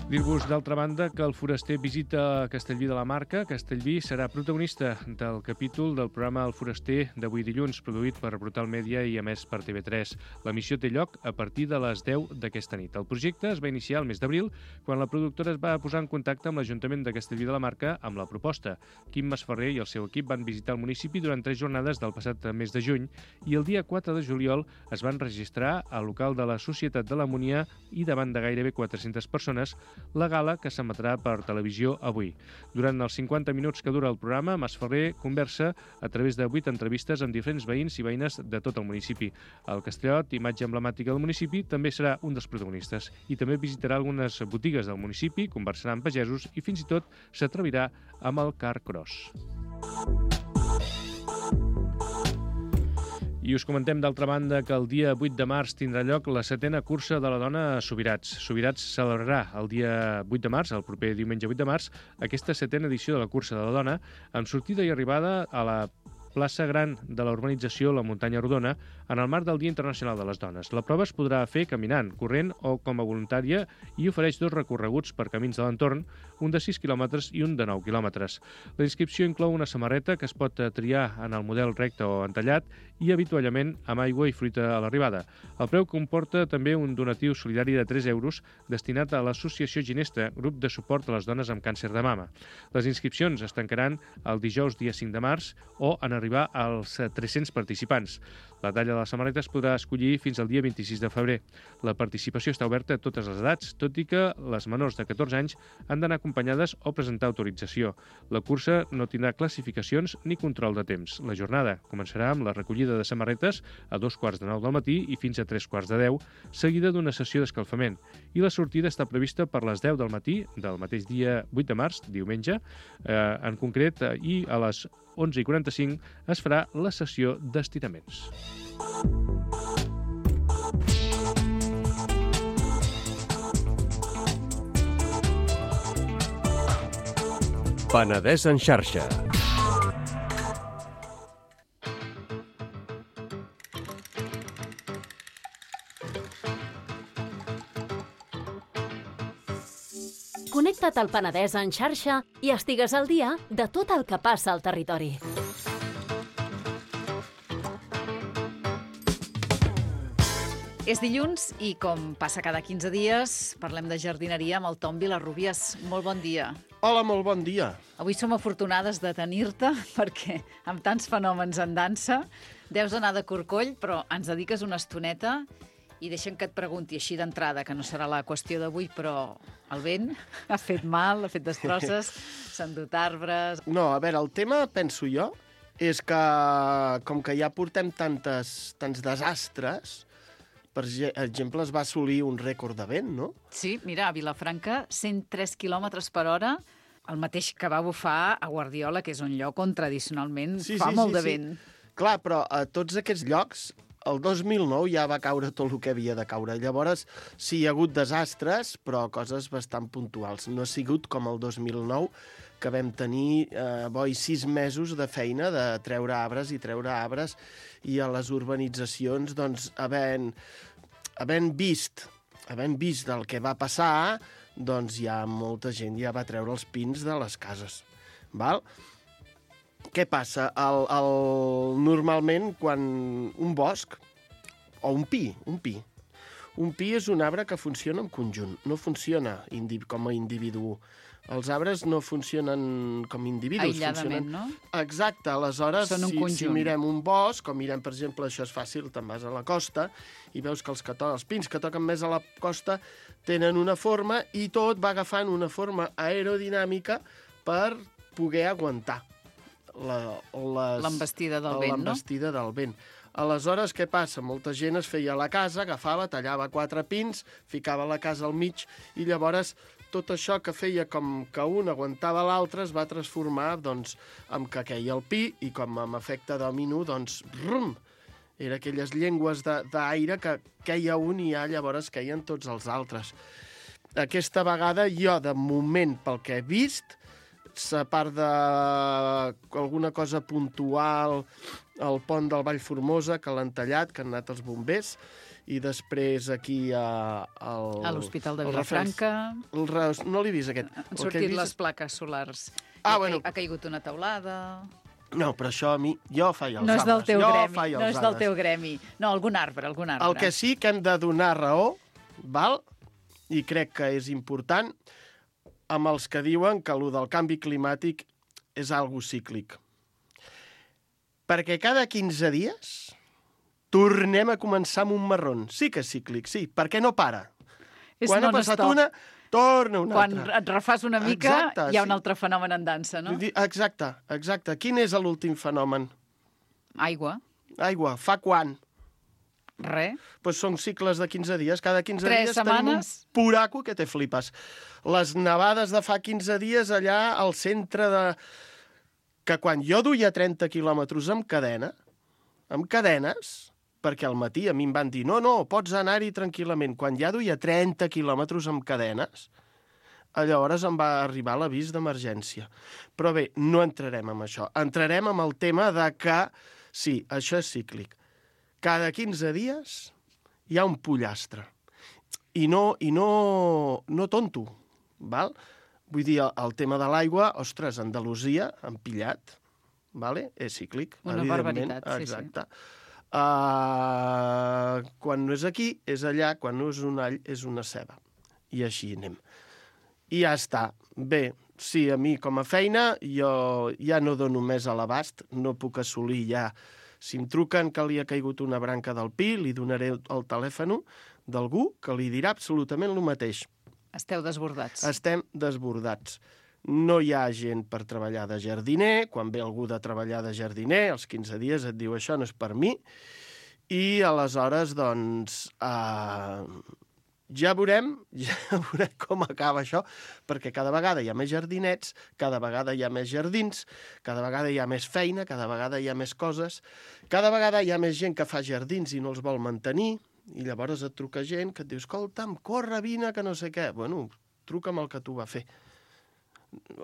Dir-vos, d'altra banda, que el foraster visita Castellví de la Marca. Castellví serà protagonista del capítol del programa El Foraster d'avui dilluns, produït per Brutal Media i emès per T V tres. La missió té lloc a partir de les deu d'aquesta nit. El projecte es va iniciar el mes d'abril, quan la productora es va posar en contacte amb l'Ajuntament de Castellví de la Marca amb la proposta. Quim Masferrer i el seu equip van visitar el municipi durant tres jornades del passat mes de juny i el dia quatre de juliol es van registrar al local de la Societat de l'Amonia i davant de gairebé quatre-centes persones la gala que s'emetrà per televisió avui. Durant els cinquanta minuts que dura el programa, Masferrer conversa a través de vuit entrevistes amb diferents veïns i veïnes de tot el municipi. El Castellot, imatge emblemàtica del municipi, també serà un dels protagonistes i també visitarà algunes botigues del municipi, conversarà amb pagesos i fins i tot s'atrevirà amb el car cross. I us comentem, d'altra banda, que el dia vuit de març tindrà lloc la setena cursa de la dona a Subirats. Subirats celebrarà el dia vuit de març, el proper diumenge vuit de març, aquesta setena edició de la cursa de la dona, amb sortida i arribada a la plaça gran de la urbanització La Muntanya Rodona en el marc del Dia Internacional de les Dones. La prova es podrà fer caminant, corrent o com a voluntària i ofereix dos recorreguts per camins de l'entorn, un de sis quilòmetres i un de nou quilòmetres. La inscripció inclou una samarreta que es pot triar en el model recte o entallat i avituallament amb aigua i fruita a l'arribada. El preu comporta també un donatiu solidari de tres euros destinat a l'Associació Ginesta, grup de suport a les dones amb càncer de mama. Les inscripcions es tancaran el dijous dia cinc de març o en arribar als tres-cents participants. La talla de la samarreta es podrà escollir fins al dia vint-i-sis de febrer. La participació està oberta a totes les edats, tot i que les menors de catorze anys han d'anar acompanyades o presentar autorització. La cursa no tindrà classificacions ni control de temps. La jornada començarà amb la recollida de samarretes a dos quarts de nou del matí i fins a tres quarts de deu, seguida d'una sessió d'escalfament. I la sortida està prevista per les deu del matí del mateix dia vuit de març, diumenge, eh, en concret, eh, i a les onze i quaranta-cinc es farà la sessió d'estiraments. Penedès en xarxa. Connecta't al Penedès en xarxa i estigues al dia de tot el que passa al territori. És dilluns i, com passa cada quinze dies, parlem de jardineria amb el Tom Vilarrubias. Molt bon dia. Hola, molt bon dia. Avui som afortunades de tenir-te perquè amb tants fenòmens en dansa deus anar de corcoll, però ens dediques una estoneta i deixem que et pregunti així d'entrada, que no serà la qüestió d'avui, però el vent ha fet mal, ha fet destrosses, s'han dut arbres... No, a veure, el tema, penso jo, és que com que ja portem tantes, tants desastres, per exemple, es va assolir un rècord de vent, no? Sí, mira, a Vilafranca, cent tres quilòmetres per hora, el mateix que va bufar a Guardiola, que és un lloc on tradicionalment sí, fa sí, molt sí, de sí. vent. Clar, però a tots aquests llocs, el dos mil nou ja va caure tot el que havia de caure. Llavors, sí, hi ha hagut desastres, però coses bastant puntuals. No ha sigut com el dos mil nou, que vam tenir eh, boi sis mesos de feina de treure arbres i treure arbres, i a les urbanitzacions, doncs, havent, havent vist havent vist el que va passar, doncs ja molta gent ja va treure els pins de les cases. Val? Què passa? El, el, normalment, quan un bosc, o un pi, un pi, un pi és un arbre que funciona en conjunt, no funciona indi com a individu. Els arbres no funcionen com individus. Aïlladament, funcionen... no? Exacte, aleshores, Són un si, conjunt. si mirem un bosc, o mirem, per exemple, això és fàcil, te'n vas a la costa, i veus que els, que to... els pins que toquen més a la costa tenen una forma, i tot va agafant una forma aerodinàmica per poder aguantar l'envestida del vent, no? L'envestida del vent. Aleshores, què passa? Molta gent es feia a la casa, agafava, tallava quatre pins, ficava la casa al mig, i llavors tot això que feia com que un aguantava l'altre es va transformar, doncs, en que queia el pi, i com amb efecte domino, doncs, rum! Era aquelles llengües d'aire que queia un i ja llavors queien tots els altres. Aquesta vegada jo, de moment, pel que he vist, a part d'alguna cosa puntual, el pont del Vallformosa, que l'han tallat, que han anat els bombers, i després aquí a... Al, a l'Hospital de Vilafranca... El, no l'he vist, aquest. Han sortit vist... les plaques solars. Ah, ha, bueno. Ha caigut una teulada... No, però això a mi... Jo faig els no és del arbres. Teu jo gremi, faig els no és del arbres. teu gremi. No, algun arbre, algun arbre. El que sí que hem de donar raó, val? I crec que és important, amb els que diuen que allò del canvi climàtic és algo cíclic. Perquè cada quinze dies tornem a començar amb un marron. Sí que és cíclic, sí, perquè no para. És Quan ha passat una, torna una Quan altra. Quan et refàs una mica, exacte, hi ha un sí. altre fenomen en dansa, no? Exacte, exacte. Quin és l'últim fenomen? Aigua. Aigua. Fa quan? Res. Pues són cicles de quinze dies. Cada quinze Tres dies setmanes. tenim un puraco que te flipes. Les nevades de fa quinze dies allà al centre de... Que quan jo duia trenta quilòmetres amb cadena, amb cadenes, perquè al matí a mi em van dir no, no, pots anar-hi tranquil·lament. Quan ja duia trenta quilòmetres amb cadenes, llavors em va arribar l'avís d'emergència. Però bé, no entrarem en això. Entrarem en el tema de que, sí, això és cíclic. Cada quinze dies hi ha un pollastre. I no, i no, no tonto, val? Vull dir, el, el tema de l'aigua, ostres, Andalusia, han pillat, vale? És cíclic, una evidentment. barbaritat, sí, exacte. Sí. Uh, quan no és aquí, és allà, quan no és un all, és una ceba. I així anem. I ja està. Bé, sí, a mi com a feina, jo ja no dono més a l'abast, no puc assolir ja. Si em truquen que li ha caigut una branca del pi, li donaré el telèfon d'algú que li dirà absolutament el mateix. Esteu desbordats. Estem desbordats. No hi ha gent per treballar de jardiner. Quan ve algú de treballar de jardiner, als quinze dies et diu això no és per mi. I aleshores, doncs, eh, ja veurem, ja veurem com acaba això, perquè cada vegada hi ha més jardinets, cada vegada hi ha més jardins, cada vegada hi ha més feina, cada vegada hi ha més coses, cada vegada hi ha més gent que fa jardins i no els vol mantenir, i llavors et truca gent que et diu, escolta'm, corre, vine, que no sé què. Bueno, truca'm el que tu va fer.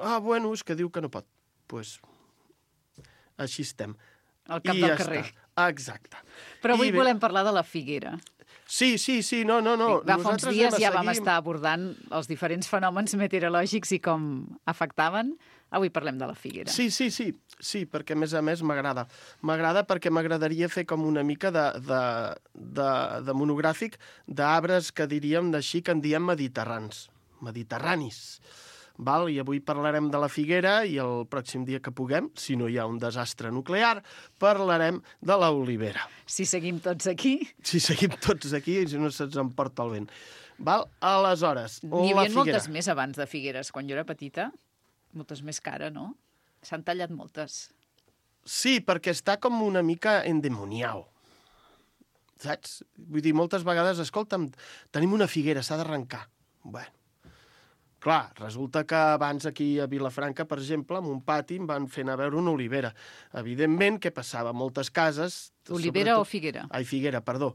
Ah, bueno, és que diu que no pot. Doncs pues, així estem. Al cap I del ja carrer. Està. Exacte. Però avui I bé... volem parlar de la figuera. Sí, sí, sí, no, no, no. Va, fa uns dies ja vam seguir... estar abordant els diferents fenòmens meteorològics i com afectaven. Avui parlem de la figuera. Sí, sí, sí, sí, perquè a més a més m'agrada. M'agrada perquè m'agradaria fer com una mica de, de, de, de monogràfic d'arbres que diríem d'així, que en diem mediterrans, mediterranis. Val? I avui parlarem de la figuera i el pròxim dia que puguem, si no hi ha un desastre nuclear, parlarem de l'olivera. Si seguim tots aquí... Si seguim tots aquí, si no se'ns emporta el vent. Val? Aleshores, N'hi la havia figuera. moltes més abans de figueres. Quan jo era petita, moltes més cara, no? S'han tallat moltes. Sí, perquè està com una mica endemoniau. Saps? Vull dir, moltes vegades, escolta'm, tenim una figuera, s'ha d'arrencar. Bueno, clar, resulta que abans aquí a Vilafranca, per exemple, en un pati em van fer anar a veure una olivera. Evidentment, què passava? Moltes cases... Olivera sobretot... o figuera? Ai, figuera, perdó.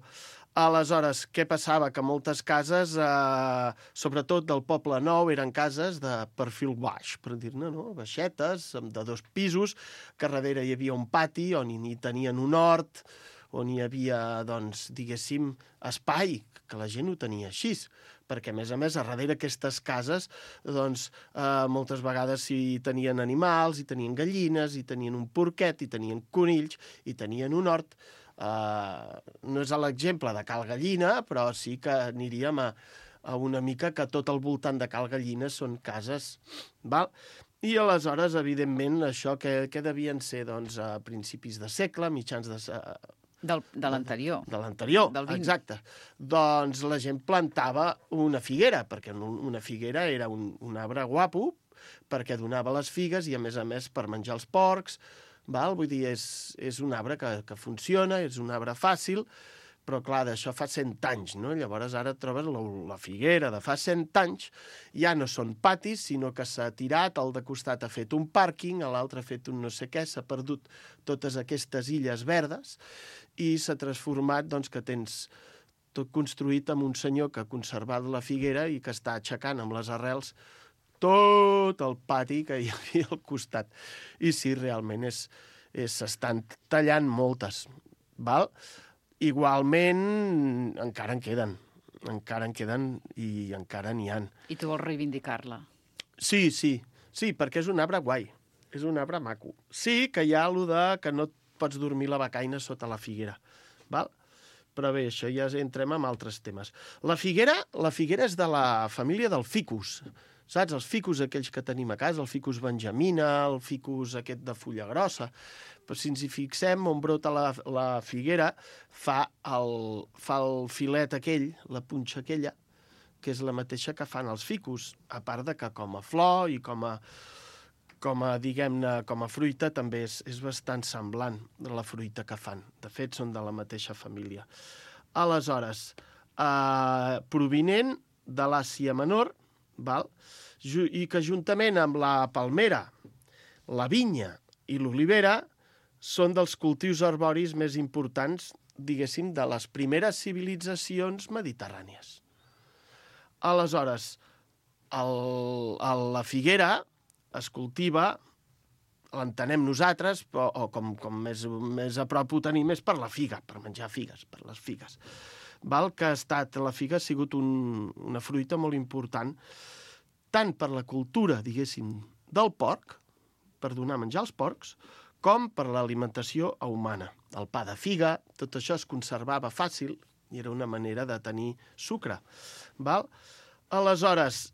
Aleshores, què passava? Que moltes cases, eh, sobretot del Poble Nou, eren cases de perfil baix, per dir-ne, no? Baixetes, de dos pisos, que darrere hi havia un pati on hi tenien un hort, on hi havia, doncs, diguéssim, espai, que la gent ho tenia així, perquè, a més a més, a darrere aquestes cases, doncs, eh, moltes vegades hi tenien animals, hi tenien gallines, hi tenien un porquet, hi tenien conills, hi tenien un hort. Eh, no és l'exemple de Cal Gallina, però sí que aniríem a, a una mica que tot al voltant de Cal Gallina són cases, val? I aleshores, evidentment, això que, que devien ser, doncs, a principis de segle, mitjans de... Del, de l'anterior. De l'anterior, Del vint. exacte. Doncs la gent plantava una figuera, perquè una figuera era un, un arbre guapo, perquè donava les figues i, a més a més, per menjar els porcs. Val? Vull dir, és, és un arbre que, que funciona, és un arbre fàcil, però, clar, d'això fa cent anys, no? Llavors ara et trobes la, la figuera de fa cent anys, ja no són patis, sinó que s'ha tirat, el de costat ha fet un pàrquing, l'altre ha fet un no sé què, s'ha perdut totes aquestes illes verdes i s'ha transformat, doncs, que tens tot construït amb un senyor que ha conservat la figuera i que està aixecant amb les arrels tot el pati que hi havia al costat. I sí, realment, és, és, s'estan tallant moltes, val? Igualment, encara en queden, encara en queden i encara n'hi ha. I tu vols reivindicar-la? Sí, sí, sí, perquè és un arbre guai, és un arbre maco. Sí que hi ha allò de que no pots dormir la becaina sota la figuera, val? Però bé, això ja entrem en altres temes. La figuera, la figuera és de la família del ficus, saps? Els ficus aquells que tenim a casa, el ficus benjamina, el ficus aquest de fulla grossa. Però si ens hi fixem, on brota la, la figuera, fa el, fa el filet aquell, la punxa aquella, que és la mateixa que fan els ficus, a part de que com a flor i com a, com a diguem-ne, com a fruita també és, és bastant semblant de la fruita que fan. De fet, són de la mateixa família. Aleshores, eh, provinent de l'Àsia Menor, val? I que juntament amb la palmera, la vinya i l'olivera són dels cultius arboris més importants, diguéssim, de les primeres civilitzacions mediterrànies. Aleshores, el, el, la figuera es cultiva, l'entenem nosaltres, però, o com, com més, més a prop ho tenim és per la figa, per menjar figues, per les figues. Val? Que ha estat, la figa ha sigut un, una fruita molt important, tant per la cultura, diguéssim, del porc, per donar menjar als porcs, com per l'alimentació humana. El pa de figa, tot això es conservava fàcil i era una manera de tenir sucre. Val? Aleshores,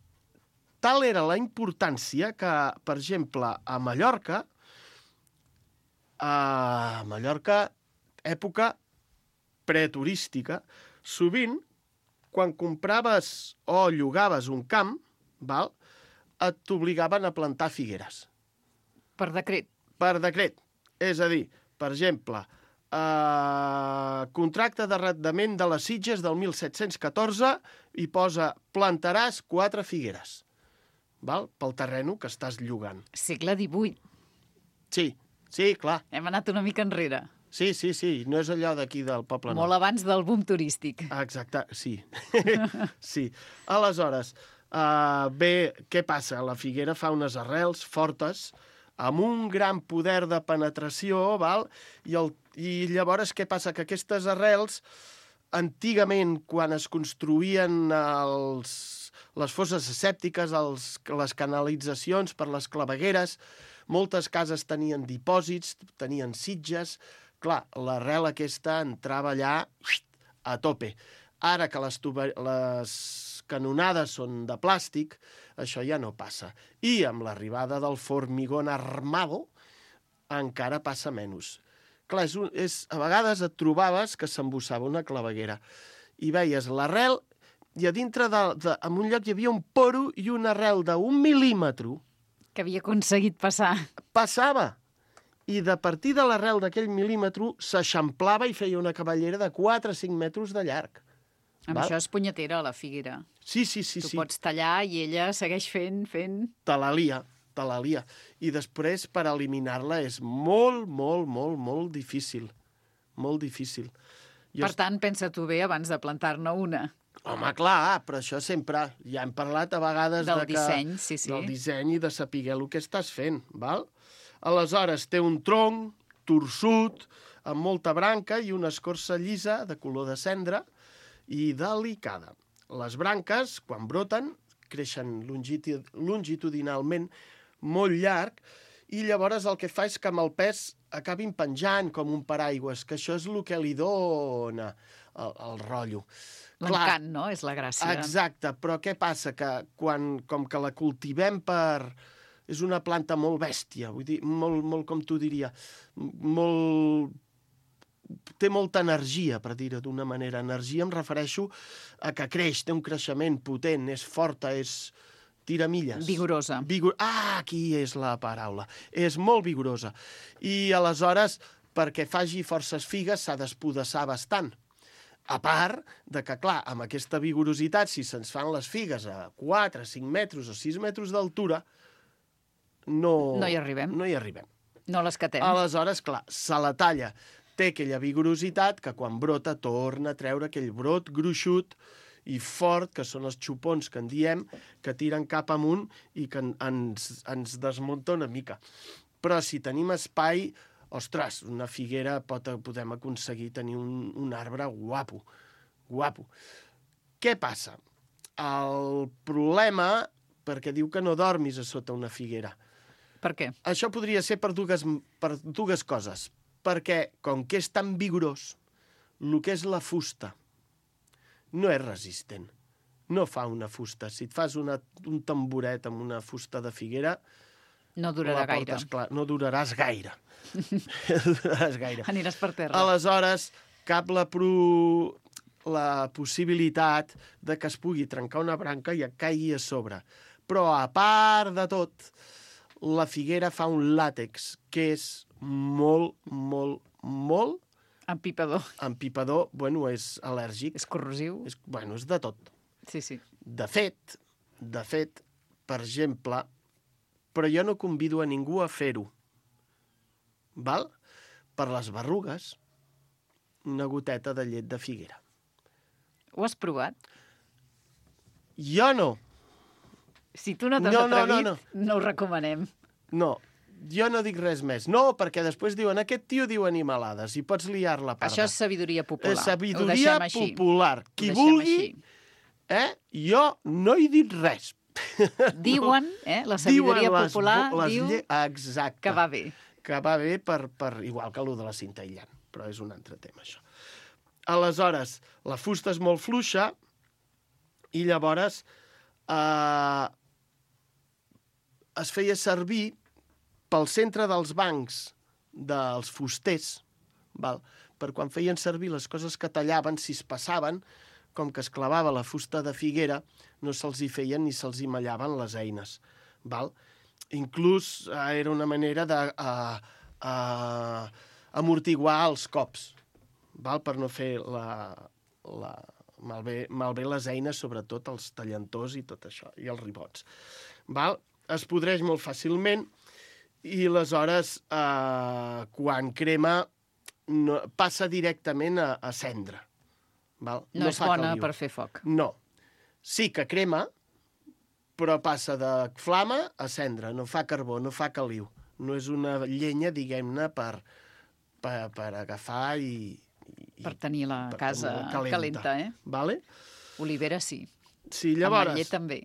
tal era la importància que, per exemple, a Mallorca, a Mallorca, època preturística, sovint, quan compraves o llogaves un camp, val, et t'obligaven a plantar figueres. Per decret? Per decret. És a dir, per exemple, eh, contracte d'arrendament de les Sitges del mil set-cents catorze i posa plantaràs quatre figueres, val? Pel terreno que estàs llogant. Segle divuit. Sí, sí, clar. Hem anat una mica enrere. Sí, sí, sí, no és allò d'aquí del Poble Nou. Molt abans del boom turístic. Exacte, sí. Sí. Aleshores, Uh, bé, què passa? La figuera fa unes arrels fortes, amb un gran poder de penetració, val? I, el, i llavors què passa? Que aquestes arrels, antigament, quan es construïen els, les fosses escèptiques, els, les canalitzacions per les clavegueres, moltes cases tenien dipòsits, tenien sitges. Clar, l'arrel aquesta entrava allà a tope. Ara que les, tuber... les canonades són de plàstic, això ja no passa. I amb l'arribada del formigón armado encara passa menys. Clar, és un, és, a vegades et trobaves que s'embossava una claveguera i veies l'arrel i a dintre, de, de, en un lloc hi havia un poro i una arrel d'un mil·límetre. Que havia aconseguit passar. Passava. I de partir de l'arrel d'aquell mil·límetre s'eixamplava i feia una cavallera de quatre a cinc metres de llarg. Amb Val? això és punyetera, la figuera. Sí, sí, sí. Tu sí. pots tallar i ella segueix fent, fent... Te la lia, te la lia. I després, per eliminar-la, és molt, molt, molt, molt difícil. Molt difícil. Jo per tant, pensa tu bé abans de plantar-ne una. Home, clar, però això sempre... Ja hem parlat a vegades del de que, disseny, sí, sí. del disseny i de saber el que estàs fent, val? Aleshores, té un tronc torsut, amb molta branca i una escorça llisa de color de cendra i delicada. Les branques, quan broten, creixen longitudinalment molt llarg i llavors el que fa és que amb el pes acabin penjant com un paraigües, que això és el que li dona el, el rotllo. L'encant, no? És la gràcia. Exacte, però què passa? Que quan, com que la cultivem per... És una planta molt bèstia, vull dir, molt, molt com tu diria, molt... té molta energia, per dir-ho d'una manera. Energia em refereixo a que creix, té un creixement potent, és forta, és... tira milles. Vigorosa. Vigor... Ah, aquí és la paraula. És molt vigorosa. I aleshores, perquè faci forces figues, s'ha d'espodassar bastant. A part de que, clar, amb aquesta vigorositat, si se'ns fan les figues a quatre, cinc metres o sis metres d'altura, no... No hi arribem. No hi arribem. No l'escatem. Aleshores, clar, se la talla. Té aquella vigorositat que quan brota torna a treure aquell brot gruixut i fort, que són els xupons que en diem, que tiren cap amunt i que ens, ens desmunta una mica. Però si tenim espai, ostres, una figuera pot, podem aconseguir tenir un, un arbre guapo, guapo. Què passa? El problema, perquè diu que no dormis a sota una figuera. Per què? Això podria ser per dues, per dues coses. Perquè, com que és tan vigorós, el que és la fusta no és resistent. No fa una fusta. Si et fas una, un tamboret amb una fusta de figuera... No durarà gaire. Clar, no duraràs gaire. duraràs gaire. Aniràs per terra. Aleshores, cap la, pro... la possibilitat de que es pugui trencar una branca i et caigui a sobre. Però, a part de tot, la figuera fa un làtex que és molt, molt, molt... Empipador. Empipador, bueno, és al·lèrgic. És corrosiu. És, bueno, és de tot. Sí, sí. De fet, de fet, per exemple, però jo no convido a ningú a fer-ho, val? Per les berrugues, una goteta de llet de figuera. Ho has provat? Jo no. Si tu no t'has no, atrevit, no, no, no. no ho recomanem. No, jo no dic res més. No, perquè després diuen, aquest tio diu animalades i pots liar-la parda. Això és sabidoria popular. És sabidoria popular. Qui vulgui, eh, jo no he dit res. Diuen, eh, la sabidoria Diuen popular les, les diu lle... Exacte. que va bé. Que va bé per, per igual que allò de la cinta aïllant, però és un altre tema, això. Aleshores, la fusta és molt fluixa i llavors eh, es feia servir pel centre dels bancs dels fusters, val? Per quan feien servir les coses que tallaven, si es passaven, com que es clavava la fusta de figuera, no se'ls hi feien ni se'ls hi mallaven les eines. Val? Inclús eh, era una manera de eh, eh, amortiguar els cops, val? Per no fer la, la, malbé, malbé les eines, sobretot els tallantors i tot això, i els ribots. Val? Es podreix molt fàcilment i aleshores, eh, quan crema, no, passa directament a, a cendra. Val? No, no és bona per fer foc. No. Sí que crema, però passa de flama a cendra, no fa carbó, no fa caliu. No és una llenya, diguem-ne, per, per, per agafar i... i per tenir la per casa tenir calenta. calenta, eh? Vale? Olivera sí. Sí, llavors... Ametller també.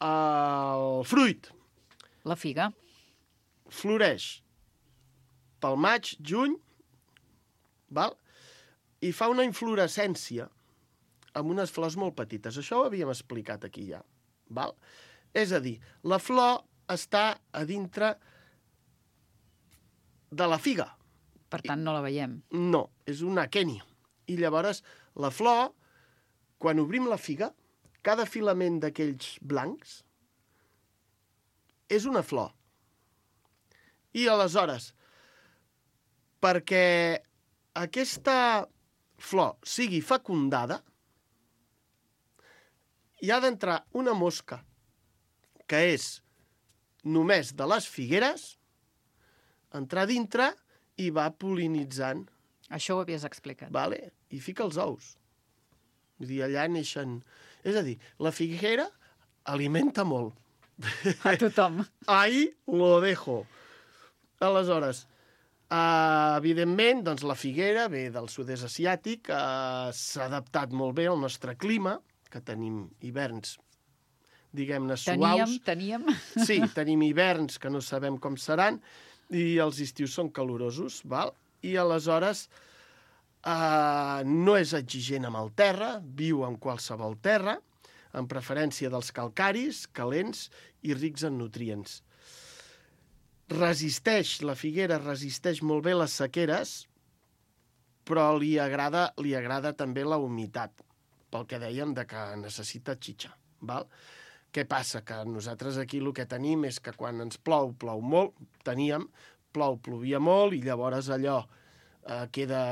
El fruit. La figa. Floreix pel maig, juny, val? I fa una inflorescència amb unes flors molt petites. Això ho havíem explicat aquí ja. Val? És a dir, la flor està a dintre de la figa. Per tant, no la veiem. No, és un aqueni. I llavors, la flor, quan obrim la figa, cada filament d'aquells blancs és una flor. I aleshores, perquè aquesta flor sigui fecundada, hi ha d'entrar una mosca que és només de les figueres, entrar dintre i va pol·linitzant. Això ho havies explicat. Vale? I fica els ous. Vull dir, allà neixen... És a dir, la figuera alimenta molt. A tothom. Ahí lo dejo. Aleshores, uh, evidentment, doncs la figuera ve del sud-est asiàtic, uh, s'ha adaptat molt bé al nostre clima, que tenim hiverns, diguem-ne, suaus. Teníem, teníem. Sí, tenim hiverns que no sabem com seran, i els estius són calorosos, val? I aleshores uh, no és exigent amb el terra, viu en qualsevol terra, en preferència dels calcaris, calents i rics en nutrients. Resisteix, la figuera resisteix molt bé les sequeres, però li agrada, li agrada també la humitat, pel que dèiem de que necessita xitxa, val? Què passa? Que nosaltres aquí el que tenim és que quan ens plou, plou molt, teníem, plou, plovia molt, i llavors allò eh, queda...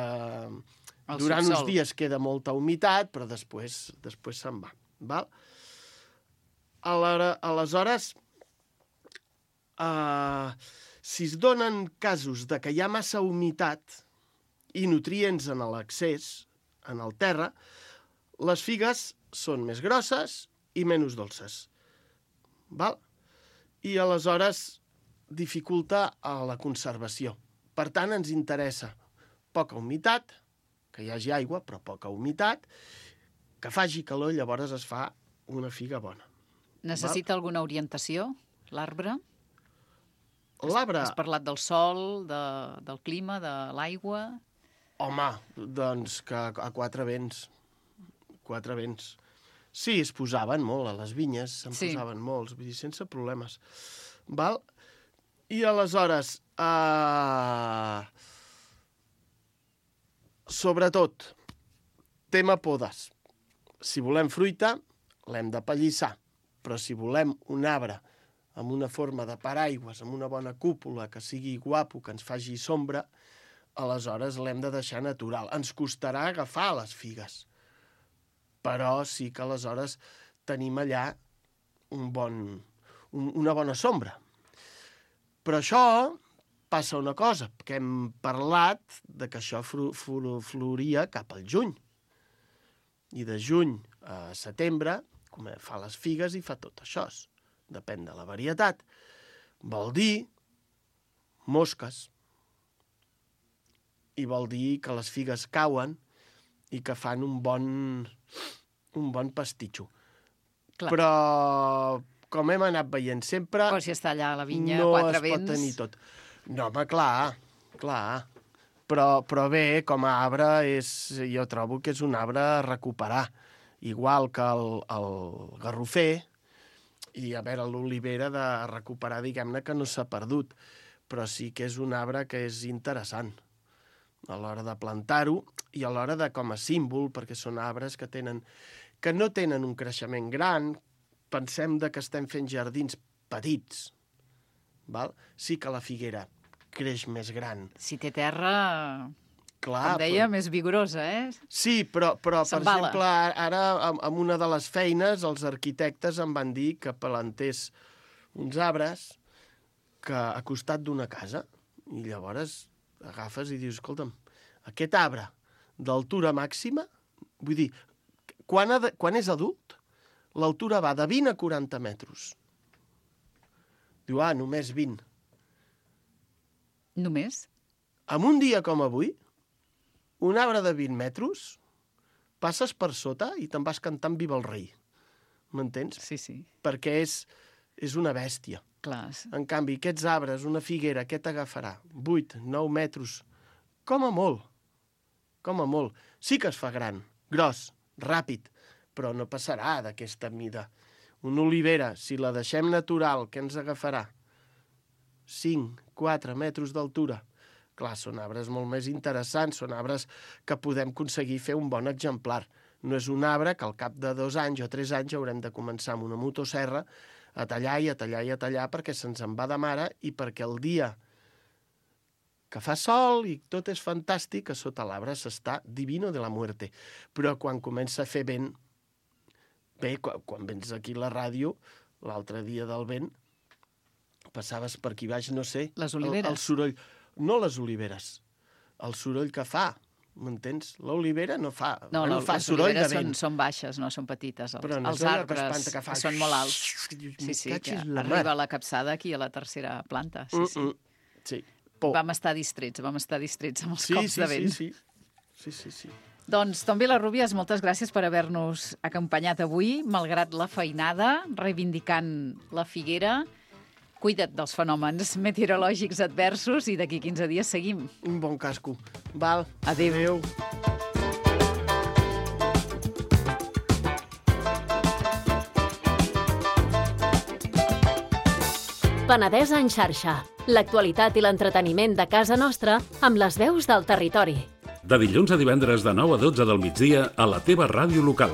El durant subsol. Uns dies queda molta humitat, però després, després se'n va. Val? Aleshores, eh, si es donen casos de que hi ha massa humitat i nutrients en l'accés, en el terra, les figues són més grosses i menys dolces. Val? I aleshores dificulta la conservació. Per tant, ens interessa poca humitat, que hi hagi aigua, però poca humitat, que faci calor, llavors es fa una figa bona. Necessita Val? Alguna orientació, l'arbre? L'arbre... Has parlat del sol, de, del clima, de l'aigua... Home, doncs que a quatre vents. Quatre vents. Sí, es posaven molt a les vinyes, se'n sí. posaven molts, vull dir, sense problemes. Val? I aleshores, eh... sobretot, tema podes. Si volem fruita, l'hem de pallissar, però si volem un arbre amb una forma de paraigües, amb una bona cúpula, que sigui guapo, que ens faci sombra, aleshores l'hem de deixar natural. Ens costarà agafar les figues, però sí que aleshores tenim allà un bon, un, una bona sombra. Però això passa una cosa, que hem parlat de que això floria cap al juny. I de juny a setembre fa les figues i fa tot això. Depèn de la varietat. Vol dir mosques. I vol dir que les figues cauen i que fan un bon, un bon pastitxo. Clar. Però, com hem anat veient sempre... Però si està allà a la vinya, no quatre vents... No es pot tenir tot. No, home, clar, clar. Però, però bé, com a arbre, és, jo trobo que és un arbre a recuperar. Igual que el, el garrofer, i a veure, l'olivera de recuperar, diguem-ne, que no s'ha perdut. Però sí que és un arbre que és interessant a l'hora de plantar-ho i a l'hora de com a símbol, perquè són arbres que tenen que no tenen un creixement gran. Pensem de que estem fent jardins petits. Val? Sí que la figuera creix més gran. Si té terra, clar, com deia, però... més vigorosa, eh? Sí, però, però per exemple, ara amb una de les feines els arquitectes em van dir que plantés uns arbres que a costat d'una casa, i llavors agafes i dius, escolta'm, aquest arbre d'altura màxima, vull dir, quan, ha de, quan és adult, l'altura va de vint a quaranta metres. Diu, ah, només vint. Només? En un dia com avui, un arbre de vint metres, passes per sota i te'n vas cantant Viva el rei. M'entens? Sí, sí. Perquè és, és una bèstia. Clar. En canvi, aquests arbres, una figuera, què t'agafarà? vuit, nou metres. Com a molt. Com a molt. Sí que es fa gran, gros, ràpid, però no passarà d'aquesta mida. Una olivera, si la deixem natural, què ens agafarà? cinc, quatre metres d'altura. Clar, són arbres molt més interessants, són arbres que podem aconseguir fer un bon exemplar. No és un arbre que al cap de dos anys o tres anys haurem de començar amb una motosserra a tallar i a tallar i a tallar perquè se'ns en va de mare i perquè el dia que fa sol i tot és fantàstic, a sota l'arbre s'està divino de la muerte. Però quan comença a fer vent, bé, quan, quan vens aquí a la ràdio, l'altre dia del vent, passaves per aquí baix, no sé... Les oliveres. El, el soroll... No les oliveres, el soroll que fa, m'entens? L'olivera no fa, no, bueno, no, fa les soroll de oliveres vent. Són, són baixes, no són petites. Els, Però no els és allò que arbres espanta, que fa... són molt alts. Sí, sí, que arriba a la capçada aquí a la tercera planta. Sí, sí. Mm -mm. Sí. Por. Vam estar distrets, vam estar distrets amb els sí, cops sí, de vent. Sí, sí, sí, sí, sí. Doncs, Tom Vilarrubias, moltes gràcies per haver-nos acompanyat avui, malgrat la feinada, reivindicant la figuera. Cuida't dels fenòmens meteorològics adversos i d'aquí quinze dies seguim. Un bon casco. Val. Adéu. Adéu. Penedès en xarxa. L'actualitat i l'entreteniment de casa nostra amb les veus del territori. De dilluns a divendres de nou a dotze del migdia a la teva ràdio local.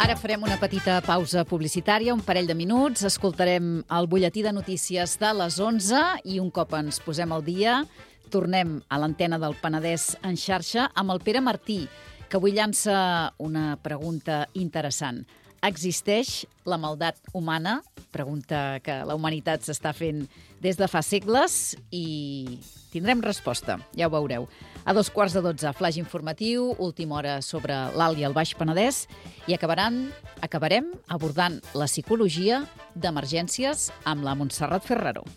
Ara farem una petita pausa publicitària, un parell de minuts, escoltarem el butlletí de notícies de les onze i un cop ens posem al dia tornem a l'antena del Penedès en xarxa amb el Pere Martí, que avui llança una pregunta interessant. Existeix la maldat humana? Pregunta que la humanitat s'està fent des de fa segles i tindrem resposta, ja ho veureu. A dos quarts de dotze, flaix informatiu, última hora sobre l'Alt i el Baix Penedès i acabaran, acabarem abordant la psicologia d'emergències amb la Montserrat Ferraró.